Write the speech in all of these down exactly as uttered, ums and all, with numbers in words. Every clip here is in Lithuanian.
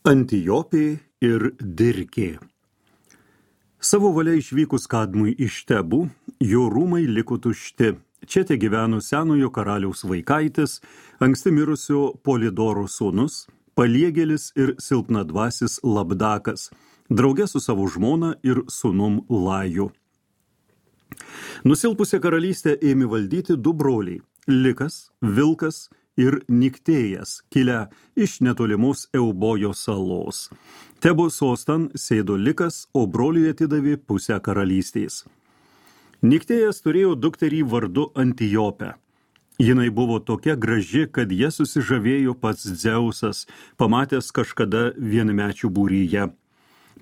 Antijopė ir Dirkė. Savo valia išvykus Kadmui iš Tebų, jo rūmai liko tušti. Čia te gyveno senojo karaliaus vaikaitis, anksti mirusio Polidoro sūnus, paliegėlis ir silpnadvasis Labdakas, drauge su savo žmona ir sūnum Laju. Nusilpusią karalystę ėmė valdyti du broliai – Likas, Vilkas ir Niktėjas, kilę iš netolimos Eubojo salos. Tebo sostan sėdo Likas, o broliui atidavė pusę karalystės. Niktėjas turėjo dukterį vardu Antijopę. Jinai buvo tokia graži, kad jie susižavėjo pats Dzeusas, pamatęs kažkada vienmečių būryje.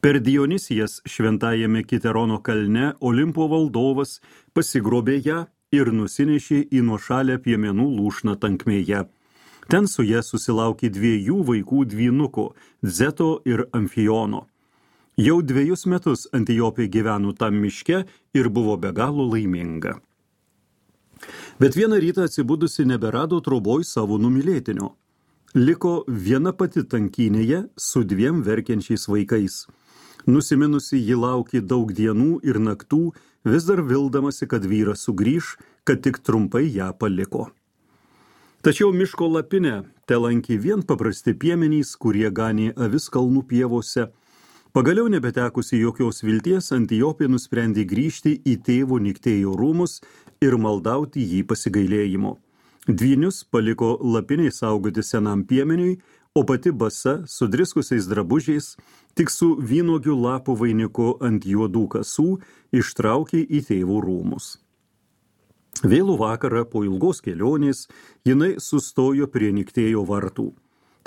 Per Dionysijas šventajame Kiterono kalne Olimpo valdovas pasigrobė ją ir nusinešė į nuošalę piemenų lūšną tankmėje. Ten su ja susilaukė dviejų vaikų dvynukų – Zeto ir Amfijono. Jau dviejus metus Antijopė gyveno tam miške ir buvo be galo laiminga. Bet vieną rytą atsibudusi neberado troboj savo numylėtinio. Liko viena pati tankynėje su dviem verkiančiais vaikais. Nusiminusi ji laukė daug dienų ir naktų, vis dar vildamasi, kad vyras sugrįš, kad tik trumpai ją paliko. Tačiau miško lapinę telankė vien paprasti piemenys, kurie ganė avis kalnų pievose. Pagaliau nebetekusi jokios vilties, Antijopė nusprendė grįžti į tėvo Niktėjo rūmus ir maldauti jį pasigailėjimo. Dvynius paliko lapiniai saugoti senam piemeniui, o pati basa, sudriskusiais drabužiais, tik su vynuogių lapų vainiku ant juodų kasų, ištraukė į tėvo rūmus. Vėlų vakarą po ilgos kelionės jinai sustojo prie Niktėjo vartų.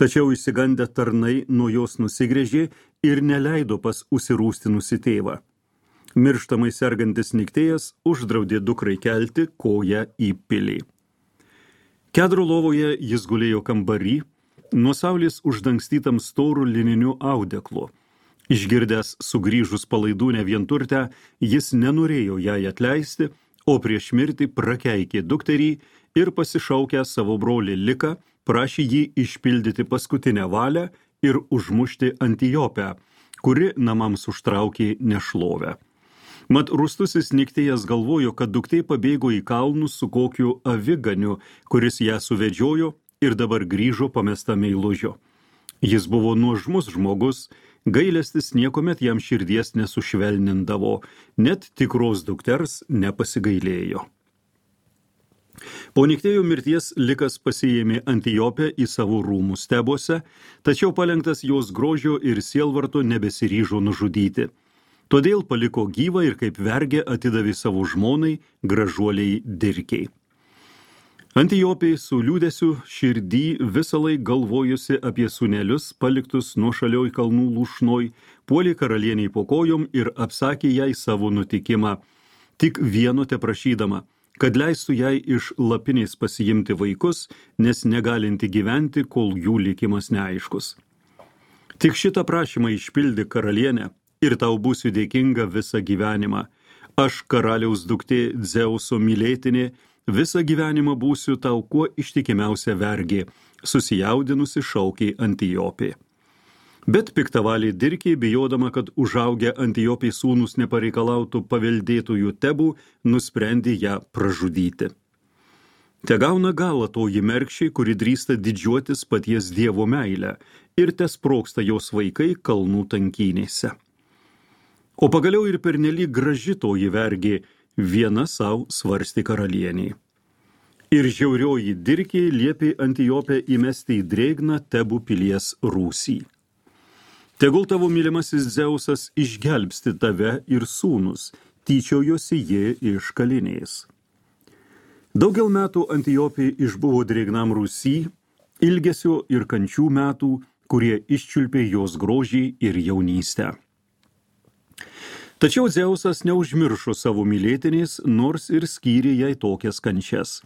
Tačiau išsigandę tarnai nuo jos nusigręžė ir neleido pas užsirūstinusi tėvą. Mirštamai sergantis Niktėjas uždraudė dukrai kelti koją į pilį. Kedro lovoje jis gulėjo kambarį, nuo saulės uždangstytam storų lininiu audeklu. Išgirdęs sugrįžus palaidūnę vienturtę, jis nenorėjo jai atleisti, o prieš mirtį prakeikė dukterį ir pasišaukę savo brolį Liką, prašė jį išpildyti paskutinę valią ir užmušti Antijopę, kuri namams užtraukė nešlovę. Mat rūstusis Niktėjas galvojo, kad duktė pabėgo į kalnus su kokiu aviganiu, kuris ją suvedžiojo ir dabar grįžo pamesta meilužio. Jis buvo nuožmus žmogus, gailestis niekomet jam širdies nesušvelnindavo, net tikros dukters nepasigailėjo. Po Niktėjo mirties Likas pasiėmė Antijopę į savo rūmus Tebuose, tačiau palenktas jos grožio ir sielvarto nebesiryžo nužudyti. Todėl paliko gyvą ir kaip vergę atidavė savo žmonai, gražuoliai Dirkei. Antijopė su liūdesiu širdį visąlaik galvojusi apie sūnelius paliktus nuošalioj kalnų lūšnoj, puolė karalieniai po kojom ir apsakė jai savo nutikimą, tik vieno teprašydama, kad leistų jai iš lapinės pasiimti vaikus, nes negalinti gyventi, kol jų likimas neaiškus. Tik šitą prašymą išpildi karalienę ir tau būsiu dėkinga visą gyvenimą. Aš, karaliaus duktė Dzeuso mylėtinė, visą gyvenimą būsiu tau kuo ištikimiausia vergė, susijaudinusi šaukė Antijopė. Bet piktavalė Dirkė, bijodama, kad užaugę Antijopė sūnus nepareikalautų paveldėtojų Tebų, nusprendė ją pražudyti. Te gauna galą toji mergšė, kuri drįsta didžiuotis paties Dievo meilę, ir te sprogsta jos vaikai kalnų tankynėse. O pagaliau ir pernelyg graži toji vergė, viena savo svarstė karalieniai. Ir žiaurioji Dirkė liepė Antijopę įmesti į drėgną Tebų pilies rūsį. Tegul tavo mylimasis Dzeusas išgelbsti tave ir sūnus, tyčiojosi ji iš kalinės. Daugel metų Antijopė išbuvo drėgnam rūsy, ilgesio ir kančių metų, kurie iščiulpė jos grožį ir jaunystę. Tačiau Dzeusas neužmiršo savo mylėtinės, nors ir skyrė jai tokias kančias.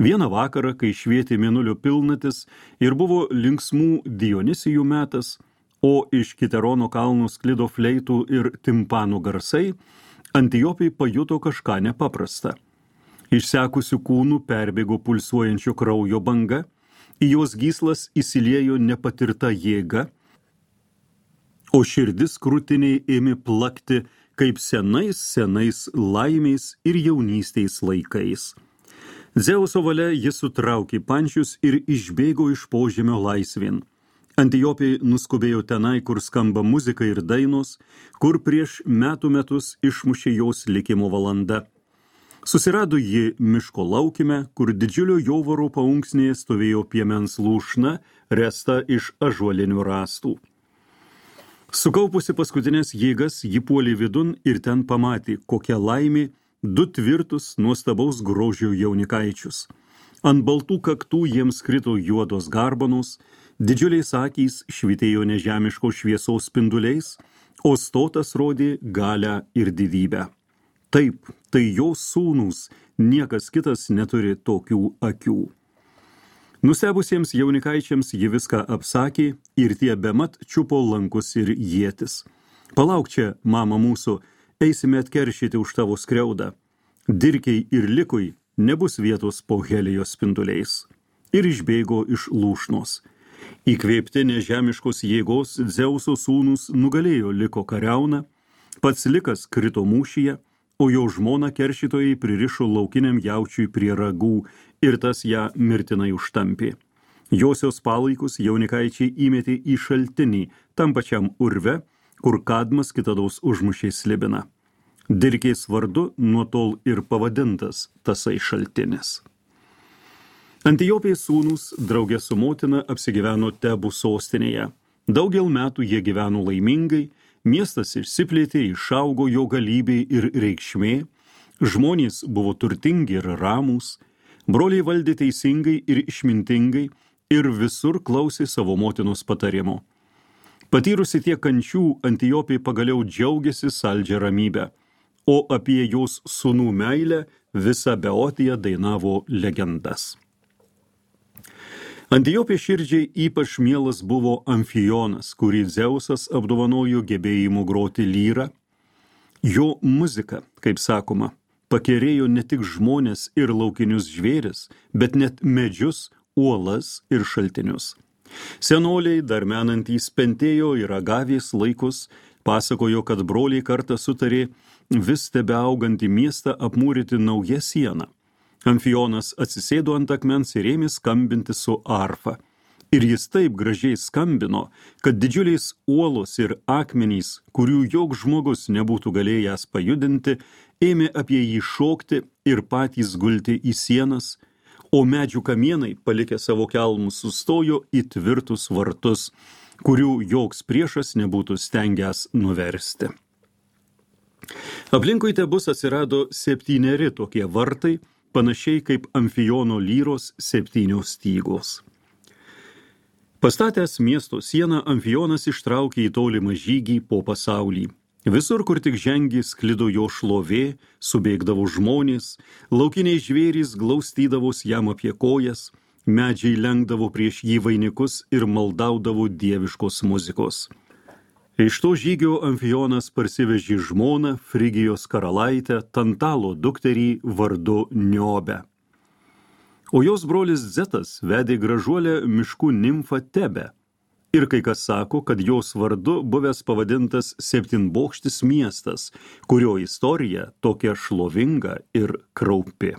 Vieną vakarą, kai švietė mėnulio pilnatis ir buvo linksmų Dionysijų metas, o iš Kiterono kalnų sklido fleitų ir timpanų garsai, Antijopė pajuto kažką nepaprastą. Išsekusių kūnų perbėgo pulsuojančio kraujo banga, į jos gyslas įsiliejo nepatirta jėga, o širdis krūtiniai ėmė plakti kaip senais senais laimės ir jaunystės laikais. Dzeuso valia jis sutraukė pančius ir išbėgo iš požemio laisvėn. Antiopiai nuskubėjo tenai, kur skamba muzika ir dainos, kur prieš metų metus išmušė jos likimo valanda. Susirado ji miško laukime, kur didžiulio jovaro paunksnėje stovėjo piemens lūšna, resta iš ąžuolinių rąstų. Sukaupusi paskutinės jėgas, ji puolė vidun ir ten pamatė, kokia laimė du tvirtus nuostabaus grožio jaunikaičius. Ant baltų kaktų jiems krito juodos garbanos, didžiuliais akys švitėjo nežemiško šviesos spinduliais, o stotas rodė galią ir didybę. Taip, tai jos sūnūs, niekas kitas neturi tokių akių. Nustebusiems jaunikaičiams ji viską apsakė ir tie bemat čiupo lankus ir ietis. Palauk čia, mama mūsų, eisime atkeršyti už tavo skriaudą. Dirkiai ir likui nebus vietos po Helijos spinduliais. Ir išbėgo iš lūšnos. Įkvėpti nežemiškos jėgos Dzeuso sūnus nugalėjo Liko kariauną, pats Likas krito mūšyje, o jo žmona keršytojai pririšo laukiniam jaučiui prie ragų ir tas ją mirtinai užtampė. Josios palaikus jaunikaičiai įmetė į šaltinį, tam pačiam urve, kur Kadmas kitados užmušė Slibiną. Dirkės vardu nuo tol ir pavadintas tasai šaltinis. Antiopiai sūnus draugė su motina apsigyveno Tebų sostinėje. Daugel metų jie gyveno laimingai, miestas išsiplėtė, išaugo jo galybė ir reikšmė, žmonės buvo turtingi ir ramūs, broliai valdė teisingai ir išmintingai ir visur klausė savo motinos patarimo. Patyrusi tiek kančių, Antiopiai pagaliau džiaugiasi saldžią ramybę, o apie jos sūnų meilę visą Beotiją dainavo legendas. Antiopiai širdžiai ypač mielas buvo Amfijonas, kurį Dzeusas apdovanojo gebėjimu groti lyrą. Jo muzika, kaip sakoma, pakerėjo ne tik žmones ir laukinius žvėris, bet net medžius, uolas ir šaltinius. Senoliai, dar menantys Pentėjo ir Agavės laikus, pasakojo, kad broliai kartą sutarė vis tebeaugantį miestą apmūryti naują sieną. Amfijonas atsisėdo ant akmens ir ėmė skambinti su arfa. Ir jis taip gražiai skambino, kad didžiuliais uolos ir akmenys, kurių joks žmogus nebūtų galėjęs pajudinti, ėmė apie jį šokti ir patys gulti į sienas, o medžių kamienai, palikę savo kelmus, sustojo į tvirtus vartus, kurių joks priešas nebūtų stengęs nuversti. Aplinkui Tebus atsirado septyneri tokie vartai, panašiai kaip Amfijono lyros septynios stygos. Pastatęs miesto sieną, Amfijonas ištraukė į tolimą žygį po pasaulį. Visur, kur tik žengė, sklido jo šlovė, subėgdavo žmonės, laukiniai žvėrys glaustydavos jam apie kojas, medžiai lenkdavo prieš jį vainikus ir maldaudavo dieviškos muzikos. Iš to žygio Amfijonas parsivežė žmoną, Frigijos karalaitę, Tantalo dukterį vardu Niobę. O jos brolis Zetas vedė gražuolę miškų nimfą Tebę. Ir kai kas sako, kad jos vardu buvęs pavadintas septynbokštis miestas, kurio istorija tokia šlovinga ir kraupi.